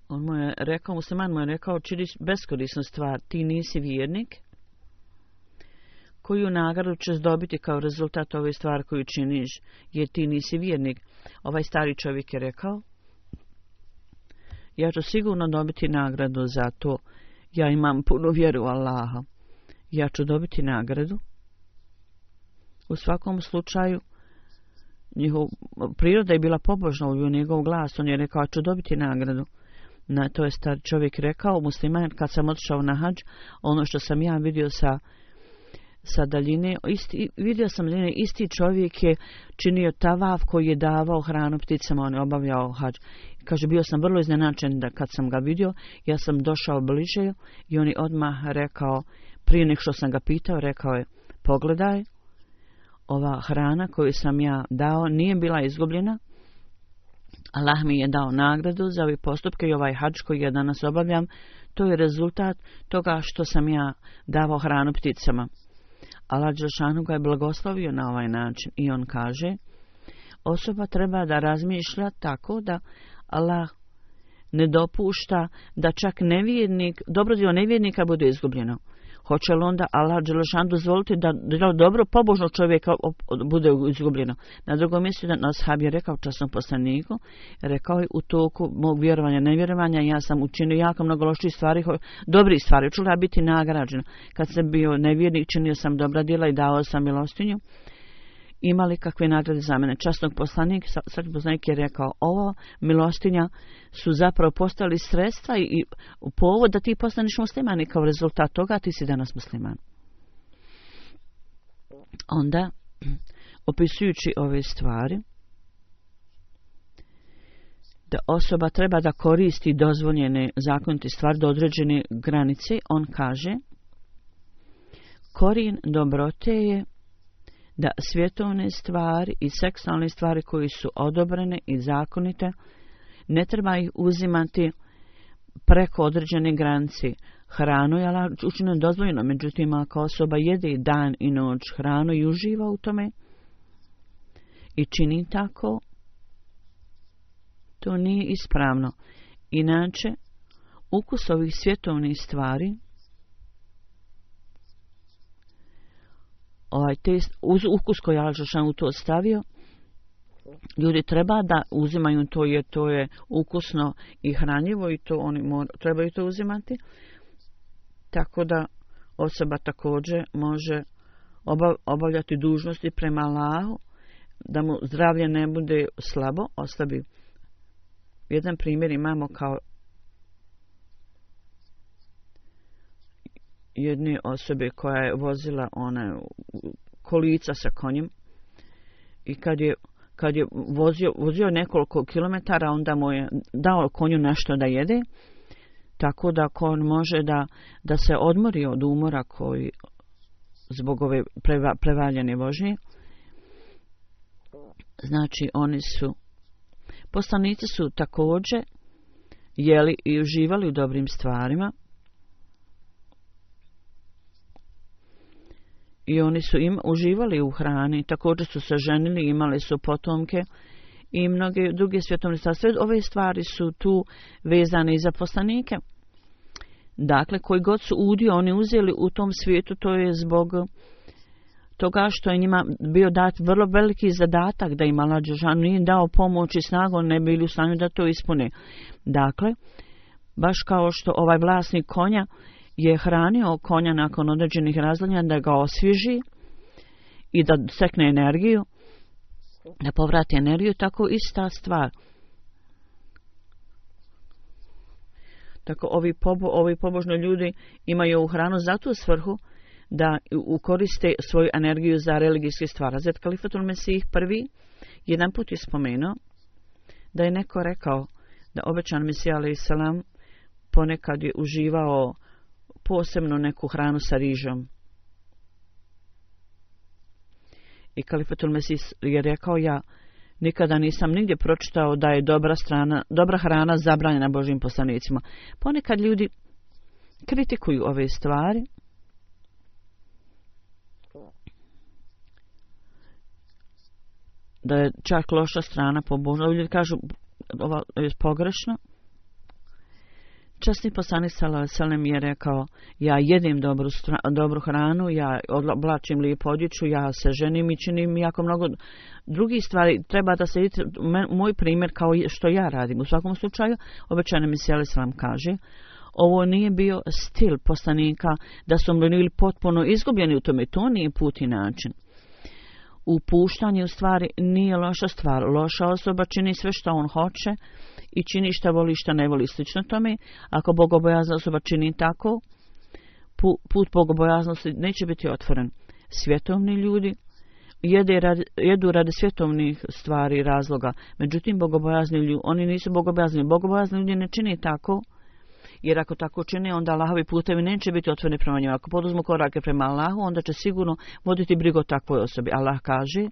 On mu je rekao, musliman mu je rekao, činiš beskorisnu stvar, ti nisi vjernik, koju nagradu ćeš dobiti kao rezultat ove stvari koju činiš, jer ti nisi vjernik. Ovaj stari čovjek je rekao, ja ću sigurno dobiti nagradu za to. Ja imam puno vjeru u Allaha. Ja ću dobiti nagradu. U svakom slučaju, njihov priroda je bila pobožna u njegov glas. On je rekao, ja ću dobiti nagradu. Na to je star čovjek rekao, musliman, kad sam otišao na hadž, ono što sam ja vidio sa, sa daljine, isti, vidio sam daljine, isti čovjek je činio tavaf koji je davao hranu pticama, on je obavljao hadž. Kaže, bio sam vrlo iznenačen da kad sam ga vidio, ja sam došao bliže i on je odmah rekao, prije nek što sam ga pitao, rekao je, pogledaj, ova hrana koju sam ja dao nije bila izgubljena. Allah mi je dao nagradu za ove postupke i ovaj hadž koji ja danas obavljam, to je rezultat toga što sam ja davao hranu pticama. Allah dželešanu ga je blagoslovio na ovaj način i on kaže, osoba treba da razmišlja tako da Allah ne dopušta da čak nevjernik, dobro dio nevjernika bude izgubljeno. Hoće li onda Allah dželešanu dozvoliti da dobro pobožnog čovjeka bude izgubljeno? Na drugom mjestu da ashab je rekao časnom poslaniku, rekao je u toku mog vjerovanja, nevjerovanja, ja sam učinio jako mnogo loših stvari, dobrih stvari, čula ja biti nagrađena. Kad sam bio nevjernik, činio sam dobra djela i dao sam milostinju. Imali kakve nagrade za mene? Časnog poslanik, sad poslanik je rekao, ovo milostinja su zapravo postali sredstva i, i povod da ti postaneš musliman i kao rezultat toga ti si danas musliman. Onda, opisujući ove stvari, da osoba treba da koristi dozvoljene zakonite stvari do određene granice, on kaže, korijen dobrote je da svjetovne stvari i seksualne stvari koji su odobrene i zakonite, ne treba ih uzimati preko određene granice. Hranu je Allah učinio dozvoljeno, međutim ako osoba jede dan i noć hranu i uživa u tome i čini tako, to nije ispravno. Inače, ukus ovih svjetovnih stvari, ovaj test, uz ukus koji Allah dželešanu u to stavio, ljudi treba da uzimaju to jer to je ukusno i hranjivo i to oni mora, trebaju to uzimati. Tako da osoba također može obav, obavljati dužnosti prema Allahu, da mu zdravlje ne bude slabo, oslabi. Jedan primjer imamo kao jedne osobe koja je vozila ona kolica sa konjem i kad je, kad je vozio, vozio nekoliko kilometara, onda mu je dao konju nešto da jede, tako da kon može da, da se odmori od umora koji zbog ove preva, prevaljene vožnje. Znači oni su, poslanici su također jeli i uživali u dobrim stvarima, i oni su im uživali u hrani, također su se ženili, imali su potomke i mnoge druge svjetovne stvari. Sve ove stvari su tu vezane i za poslanike. Dakle, koji god su udio oni uzeli u tom svijetu, to je zbog toga što je njima bio dat vrlo veliki zadatak da im Allah dželešanu nije dao pomoć i snagu, ne bili u stanju da to ispune. Dakle, baš kao što ovaj vlasnik konja je hranio konja nakon određenih razdoblja da ga osvježi i da stekne energiju, da povrati energiju, tako ista stvar. Tako ovi, pobo, ovi pobožni ljudi imaju u hranu za tu svrhu da ukoriste svoju energiju za religijske stvari. Hazret Kalifatul Mesih prvi jedan put je spomenuo da je neko rekao da obećan Mesija alejhi selam ponekad je uživao posebno neku hranu sa rižom. I Kalifatul Mesih je rekao, ja nikada nisam nigdje pročitao da je dobra, strana, dobra hrana zabranjena Božjim poslanicima. Ponekad ljudi kritikuju ove stvari, da je čak loša strana pobožna. Ljudi kažu, ovo je pogrešno. Časni poslanik sallallahu alejhi ve sellem je rekao, ja jedem dobru, dobru hranu, ja oblačim lijepu odjeću, ja se ženim i činim jako mnogo drugih stvari. Treba da se vidite moj primjer kao što ja radim. U svakom slučaju, obećani Mesija alejhi selam kaže, ovo nije bio stil poslanika da su bili potpuno izgubljeni u tome. To nije put i način. Upuštanje u stvari nije loša stvar. Loša osoba čini sve što on hoće i čini šta voli, šta ne voli. Slično tome, ako bogobojazna osoba čini tako, put bogobojaznosti neće biti otvoren. Svjetovni ljudi jede radi, jedu radi svjetovnih stvari i razloga. Međutim, bogobojazni ljudi, oni nisu bogobojazni. Bogobojazni ljudi ne čini tako jer ako tako čine, onda Allahovi putevi neće biti otvoreni prema njima. Ako poduzmu korake prema Allahu, onda će sigurno voditi brigu o takvoj osobi. Allah kaže,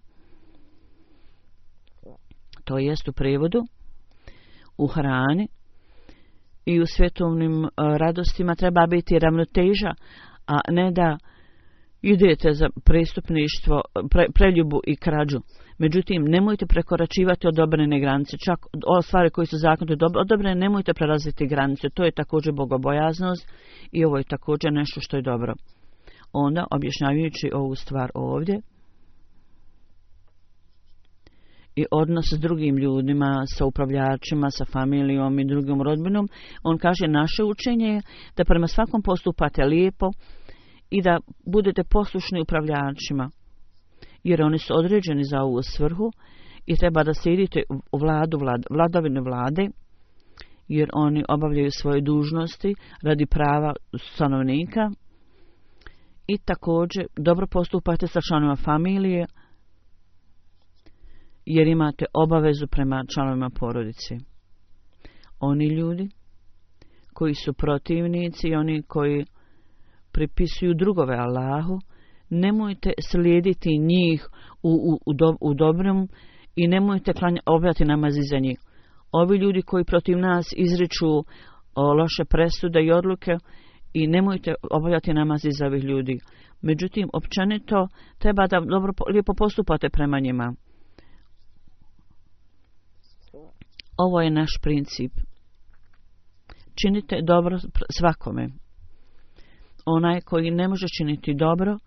to jest u prevodu, u hrani i u svjetovnim uh, radostima treba biti ravnoteža, a ne da idete za prestupništvo, pre, preljubu i krađu. Međutim, nemojte prekoračivati odobrene granice. Čak o stvari koji su zakonito odobrene, nemojte prelaziti granice. To je također bogobojaznost i ovo je također nešto što je dobro. Onda, objašnjavajući ovu stvar ovdje, i odnos s drugim ljudima, sa upravljačima, sa familijom i drugom rodbinom, on kaže, naše učenje je da prema svakom postupate lijepo i da budete poslušni upravljačima, jer oni su određeni za ovu svrhu i treba da slijedite u vladu, vlad, vladavine vlade, jer oni obavljaju svoje dužnosti radi prava stanovnika i također dobro postupate sa članovima familije, jer imate obavezu prema članovima porodice. Oni ljudi koji su protivnici i oni koji pripisuju drugove Allahu, nemojte slijediti njih u, u, u, do, u dobrom i nemojte klanja, obavljati namaz iza njih. Ovi ljudi koji protiv nas izriču o, loše presude i odluke i nemojte obavljati namaz iza ovih ljudi. Međutim, općenito treba da dobro, lijepo postupate prema njima. Ovo je naš princip. Činite dobro svakome. Onaj koji ne može činiti dobro,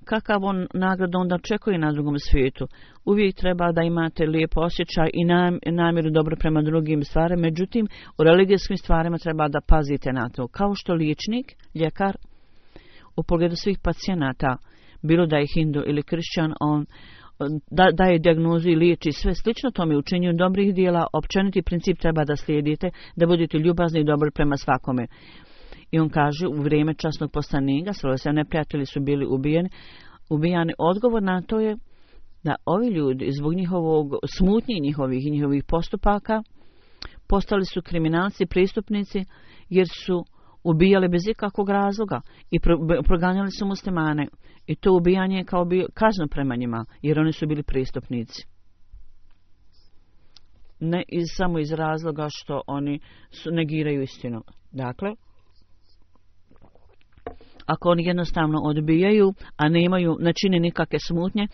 kakav on nagradu onda očekuje na drugom svijetu. Uvijek treba da imate lijep osjećaj i namjeru dobro prema drugim stvarima, međutim u religijskim stvarima treba da pazite na to. Kao što liječnik, ljekar, u pogledu svih pacijenata, bilo da je hindu ili kršćan, on da, daje dijagnozu i liječi sve slično tome učinju dobrih dijela, općeniti princip treba da slijedite, da budete ljubazni i dobri prema svakome. I on kaže, u vrijeme časnog poslanika, sve neprijatelji su bili ubijeni, ubijani. Odgovor na to je da ovi ljudi, zbog njihovog smutnji njihovih i njihovih postupaka, postali su kriminalci, prestupnici, jer su ubijali bez ikakvog razloga i proganjali su muslimane. I to ubijanje je kao bio kazno prema njima, jer oni su bili prestupnici. Ne iz, samo iz razloga što oni su, negiraju istinu. Dakle, ako oni jednostavno odbijaju, a ne imaju, ne čine nikakve smutnje,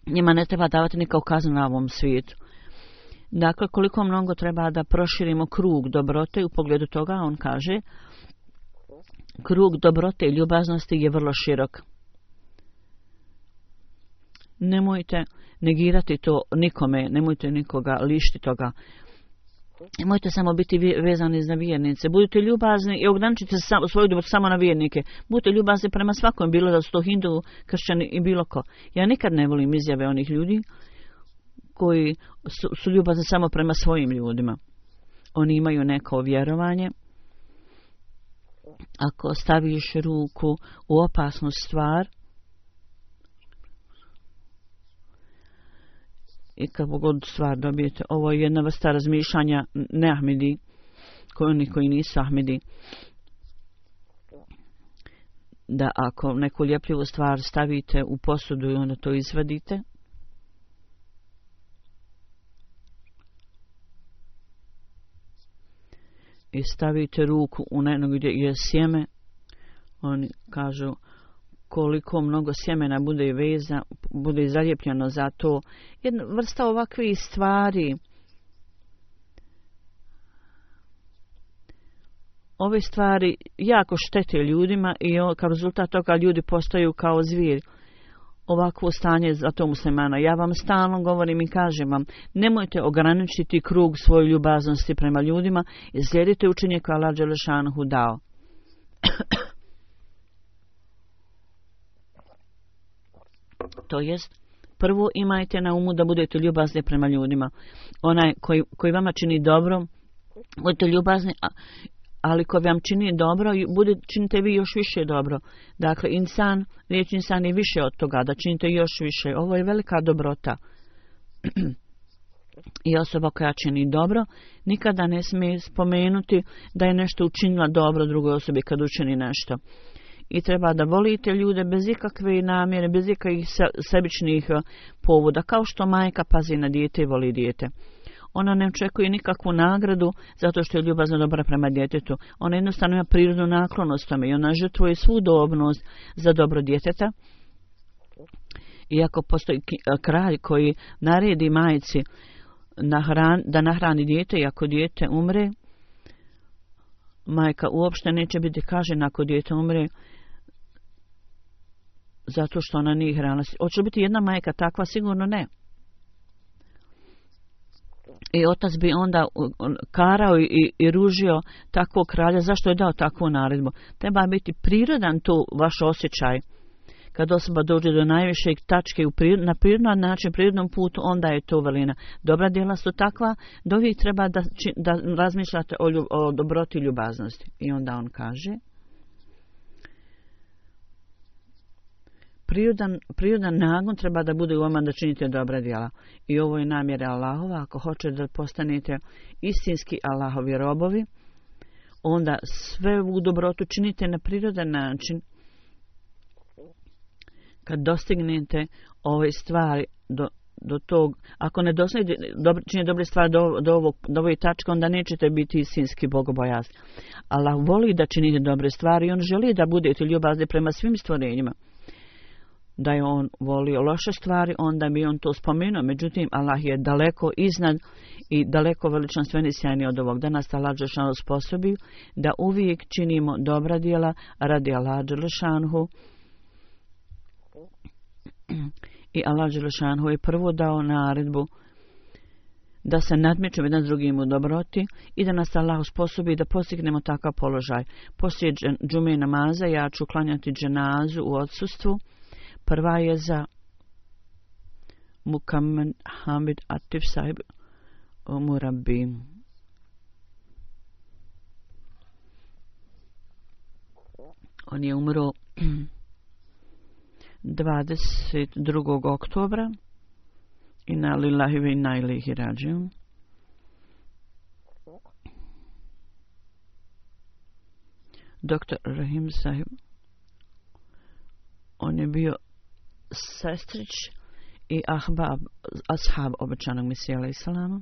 njima ne treba davati nikakvu kaznu na ovom svijetu. Dakle, koliko mnogo treba da proširimo krug dobrote, u pogledu toga on kaže, krug dobrote i ljubaznosti je vrlo širok. Nemojte negirati to nikome, nemojte nikoga lišiti toga. Nemojte samo biti vezani za vjernice. Budite ljubazni i ograničite svoju ljubav samo na vjernike. Budite ljubazni prema svakom, bilo da su to hindu, kršćani i bilo ko. Ja nikad ne volim izjave onih ljudi koji su, su ljubazni samo prema svojim ljudima. Oni imaju neko vjerovanje. Ako staviš ruku u opasnu stvar i kako god stvar dobijete, ovo je jedna vrsta razmišljanja ne Ahmedi, koji oni koji nisu Ahmedi, da ako neku ljepljivu stvar stavite u posudu i onda to izvadite, i stavite ruku u nešto gdje je sjeme, oni kažu koliko mnogo sjemena bude veza, bude zalijepljeno za to. Jedna vrsta ovakvih stvari, ove stvari jako štete ljudima i kao rezultat toga ljudi postaju kao zvijeri. Ovakvo stanje za to muslimana. Ja vam stalno govorim i kažem vam, nemojte ograničiti krug svoje ljubaznosti prema ljudima i slijedite učenje koje Allah dželešanuhu dao. To jest, prvo imajte na umu da budete ljubazni prema ljudima. Onaj koji, koji vama čini dobro, budete ljubazni, ali ko vam čini dobro, bude, činite vi još više dobro. Dakle, insan, riječ insan je više od toga, da činite još više. Ovo je velika dobrota. I osoba koja čini dobro nikada ne smije spomenuti da je nešto učinila dobro drugoj osobi kad učini nešto. I treba da volite ljude bez ikakve namjere, bez ikakvih sebičnih povoda, kao što majka pazi na dijete i voli dijete. Ona ne očekuje nikakvu nagradu zato što je ljubazna dobra prema djetetu. Ona jednostavno ima prirodnu naklonost tome i ona žrtvuje svu dobnost za dobro djeteta. Iako postoji kralj koji naredi majci nahran, da nahrani dijete i ako dijete umre, majka uopšte neće biti kažnjena ako dijete umre zato što ona nije hrana. Hoće li biti jedna majka takva? Sigurno ne. I otac bi onda karao i, i ružio takvog kralja. Zašto je dao takvu naredbu? Treba biti prirodan tu vaš osjećaj. Kad osoba dođe do najvišeg tačke u prirod, na prirodnom način, prirodnom putu, onda je to velina. Dobra djela su takva da uvijek treba da, da razmišljate o, ljub, o dobroti i ljubaznosti. I onda on kaže, prirodan, prirodan nagon treba da bude u vama da činite dobra djela. I ovo je namjera Allahova. Ako hoćete da postanete istinski Allahovi robovi, onda sve u dobrotu činite na prirodan način. Kad dostignete ove stvari do, do tog, ako ne dostignete dobro, čini dobre stvari do, do, ovog, do ove tačke, onda nećete biti istinski bogobojazni. Allah voli da činite dobre stvari i on želi da budete ljubazni prema svim stvorenjima. Da je on volio loše stvari, onda bi on to spomenuo. Međutim, Allah je daleko iznad i daleko veličanstveni sjajni od ovog. Danas Allah dželešanu sposobi da uvijek činimo dobra djela radi Allah dželešanu. I Allah dželešanu je prvo dao naredbu da se nadmećemo jedan s drugim u dobroti i da nas Allah usposobi da postignemo takav položaj. Poslije džume namaza ja ću klanjati dženazu u odsustvu. Prva je za Mukammed Hamid Atif sahib Murabi. On je umro dvadeset drugog oktobra. Inna lillahi wa inna ilaihi rađiun. Doktor Rahim sahib, on je bio sestrić i ahbab, ashab obećanog Mesija alejhi selama.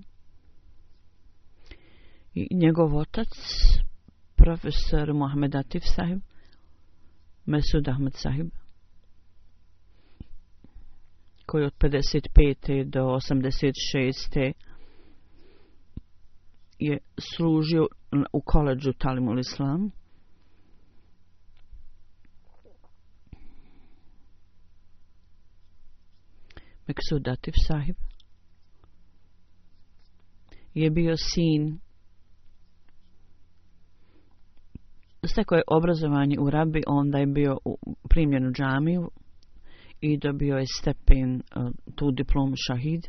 I njegov otac, profesor Mohamed Atif sahib, Mesud Ahmed sahib, koji od pedeset pete do osamdeset šeste je služio u koledžu Talimul Islam. Meksud Atif sahib je bio sin, stekao je obrazovanje u Rabi, onda je bio primljen u džamiju i dobio je stepen, tu diplomu šahid.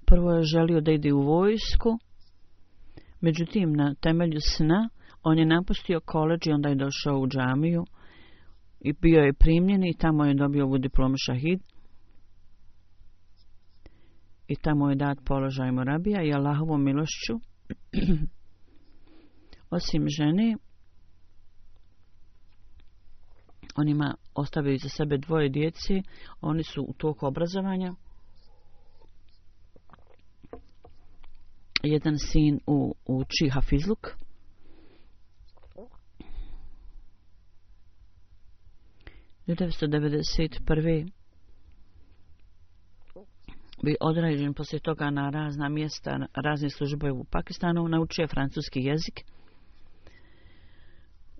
Prvo je želio da ide u vojsku, međutim na temelju sna on je napustio koledž i onda je došao u džamiju i bio je primljen i tamo je dobio ovu diplomu šahid. I tamo je dat položaj morabija i Allahovom milošću. Osim žene, on ima ostavili za sebe dvoje djece. Oni su u toku obrazovanja. Jedan sin u, uči hafizluk. devetsto devedeset prve bi određen poslije toga na razna mjesta, razne službe u Pakistanu, naučio francuski jezik.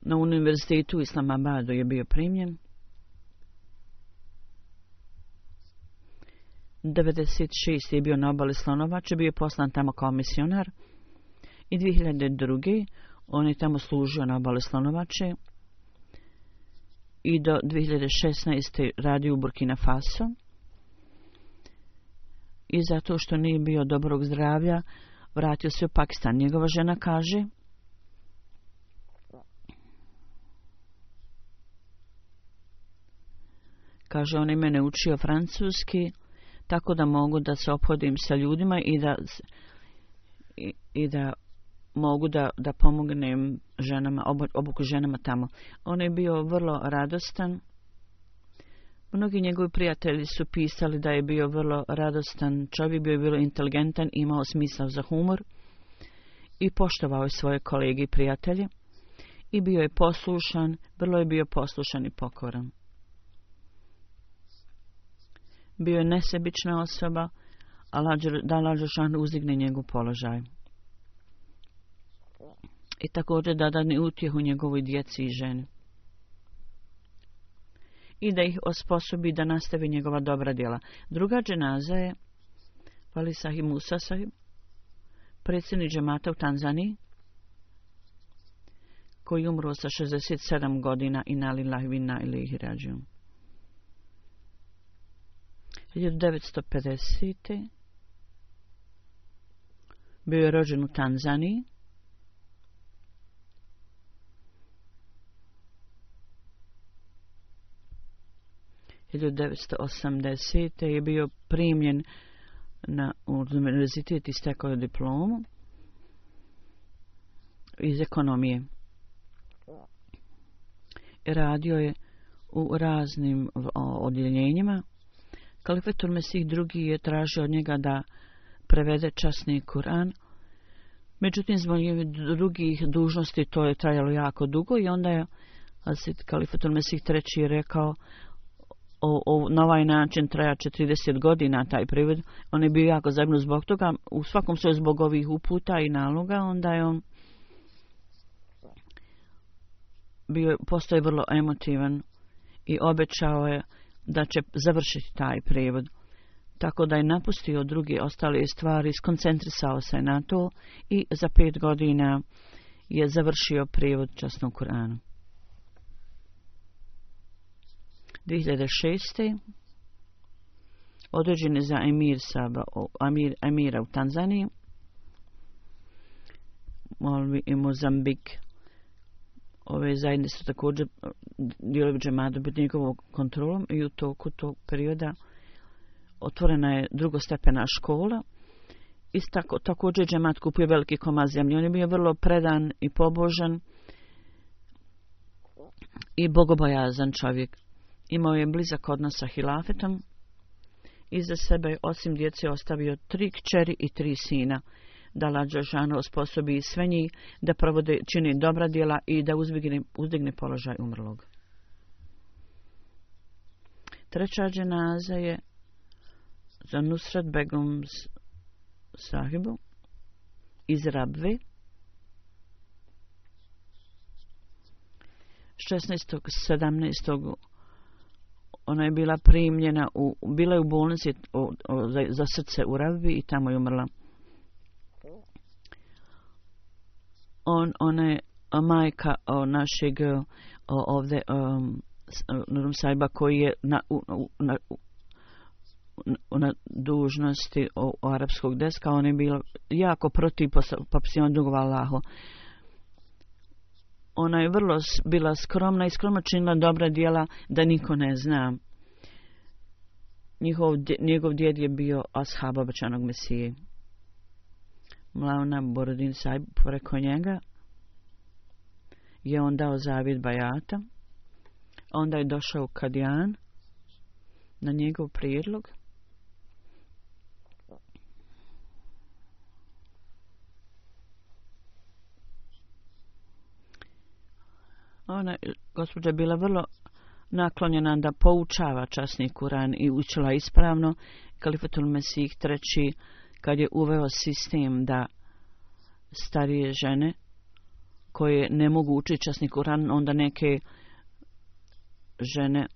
Na univerzitetu u Islamabadu je bio primljen. devedeset šeste je bio na obali Slonovače, bio je poslan tamo kao misionar. I dvije hiljade druge on je tamo služio na obali Slonovače. I do dvije hiljade šesnaeste radio u Burkina Faso. I zato što nije bio dobrog zdravlja, vratio se u Pakistan. Njegova žena kaže, kaže, on je mene učio francuski, tako da mogu da se ophodim sa ljudima i da, i, i da mogu da, da pomognem ženama, obuku ženama tamo. On je bio vrlo radostan. Mnogi njegovi prijatelji su pisali da je bio vrlo radostan čovjek, bio je vrlo inteligentan, imao smisao za humor i poštovao je svoje kolege i prijatelje i bio je poslušan, vrlo je bio poslušan i pokoran. Bio je nesebična osoba, a da Allah dželešanu uzdigne njegov položaj. I također da dadne utjehu njegovoj djeci i ženi. I da ih osposobi da nastavi njegova dobra djela. Druga dženaza je Vali Sahib Musa Sahib, predsjednik džemata u Tanzaniji, koji umro sa šezdeset sedam godina i na lillahi vinna ilaihi rađiun. hiljadu devetsto pedesete. bio je rođen u Tanzaniji. hiljadu devetsto osamdesete. je bio primljen na univerzitet i stekao diplomu iz ekonomije. Radio je u raznim odjeljenjima. Kalifetul Mesih drugi je tražio od njega da prevede časni Kur'an. Međutim, zbog drugih dužnosti to je trajalo jako dugo i onda je Kalifetul Mesih treći rekao o, o, na ovaj način traja četrdeset godina taj prevod. On je bio jako zabrinut zbog toga. U svakom slučaju zbog ovih uputa i naloga, onda je on bio, postoje vrlo emotivan i obećao je da će završiti taj prevod. Tako da je napustio druge ostale stvari, skoncentrisao se na to i za pet godina je završio prevod časnog Kur'ana. dvije hiljade šeste. određen je za emir Saba, emir, emira u Tanzaniji, Molvi i Mozambik. Ove zajednice su također dijelovi džemata pod njegovom kontrolom i u toku tog perioda otvorena je drugostepena škola. Isto tako, također džemat kupio veliki komad zemlje. On je bio vrlo predan i pobožan i bogobojazan čovjek. Imao je blizak odnos sa hilafetom. Iza sebe osim djece ostavio tri kćeri i tri sina. Da Allah dželešanu osposobi sve njih da provode, čini dobra djela i da uzdigne, uzdigne položaj umrlog. Treća dženaza je za Nusrat Begum Sahibu iz Rabve. šesnaestog sedamnaestog ona je bila primljena, u, bila je u bolnici o, o, za, za srce u Rabvi i tamo je umrla. On, ona je majka o, našeg o, ovdje um, Nurum Sajba koji je na, u, na, u, na dužnosti o, o arapskog deska. On je bila jako protiv popisivanja dugova Allahu. Ona je vrlo bila skromna i skromno činila dobra djela da niko ne zna. Njihov, njegov djed je bio ashab obećanog Mesije. Mlauna Borodin Sajb preko njega je on dao zavjet bajata. Onda je došao u Kadijan na njegov prijedlog. Ona, gospođa, je bila vrlo naklonjena da poučava časni Kur'an i učila ispravno. Kalifatul Mesih treći, kad je uveo sistem da starije žene koje ne mogu učiti časni Kur'an, onda neke žene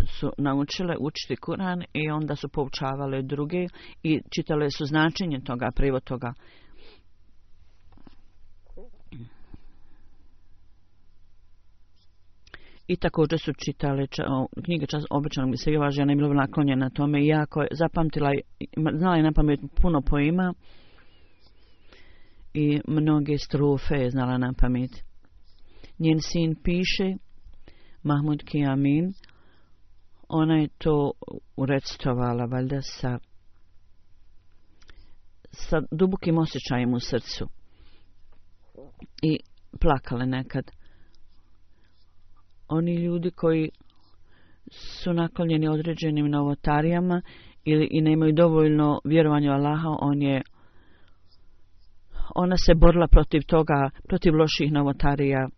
su naučile učiti Kur'an i onda su poučavale druge i čitale su značenje toga, prevod toga. I također su čitale ča, o, knjige čas obećanog Mesije. Ova žena je bila naklonjena tome i jako je zapamtila, znala je na pamet puno poema i mnoge strofe je znala na pamet. Njen sin piše, Mahmud Kiamin, Ona je to urecitovala valjda sa, sa dubokim osjećajem u srcu i plakale nekad. Oni ljudi koji su naklonjeni određenim novotarijama ili i nemaju dovoljno vjerovanja u Allaha, on je, ona se borila protiv toga, protiv loših novotarija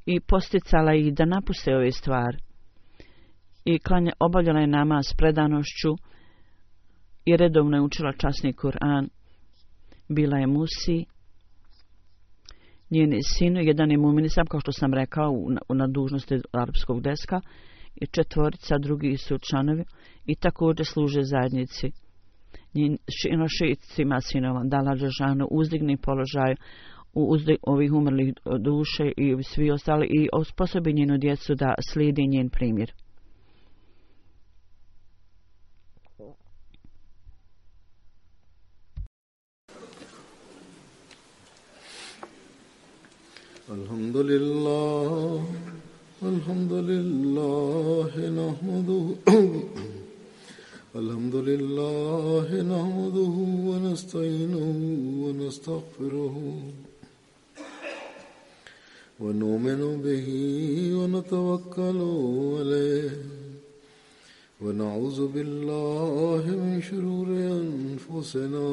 i posticala ih da napuste ove stvari. I klanja, obavljala je namaz s predanošću i redovno je učila časni Kur'an. Bila je musi, njeni sinu, jedan je muminisam, kao što sam rekao, u, na dužnosti arapskog deska, i četvorica, drugi su članovi i također služe zajednici. Njeno šestima sinova, dala Đelešanu uzdigni položaj u uzdig, ovih umrlih duše i svi ostali i osposobi njenu djecu da slijedi njen primjer. Alhamdulillah, alhamdulillah, nahmaduhu, alhamdulillah, nahmaduhu, wa nasta'inuhu, wa nastaghfiruhu, wa nu'minu bihi, wa natawakkalu alayhi, wa na'udhu billahi min shururi anfusina,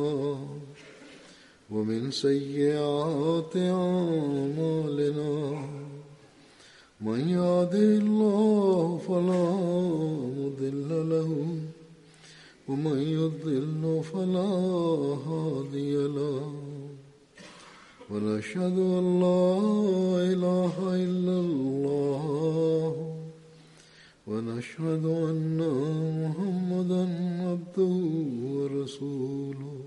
ومن سيئات أعمالنا من يهده الله فلا مضل له ومن يضلل فلا هادي له ونشهد أن لا إله إلا الله ونشهد أن محمدا عبده ورسوله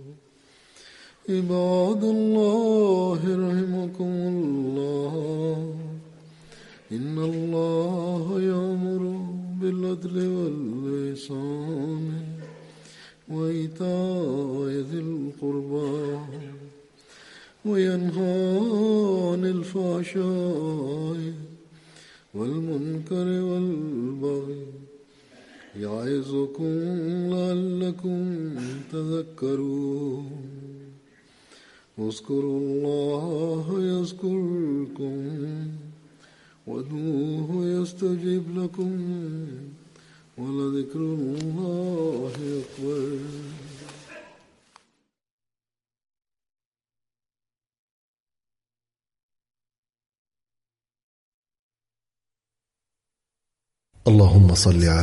عباد الله رحمكم الله إن الله يأمر بالعدل والإحسان وإيتاء ذي القربى وينهى عن الفحشاء والمنكر والبغي يعظكم لعلكم تذكرون اذكروا الله يذكركم وادعوه يستجب لكم ولذكر الله أكبر. اللهم صل على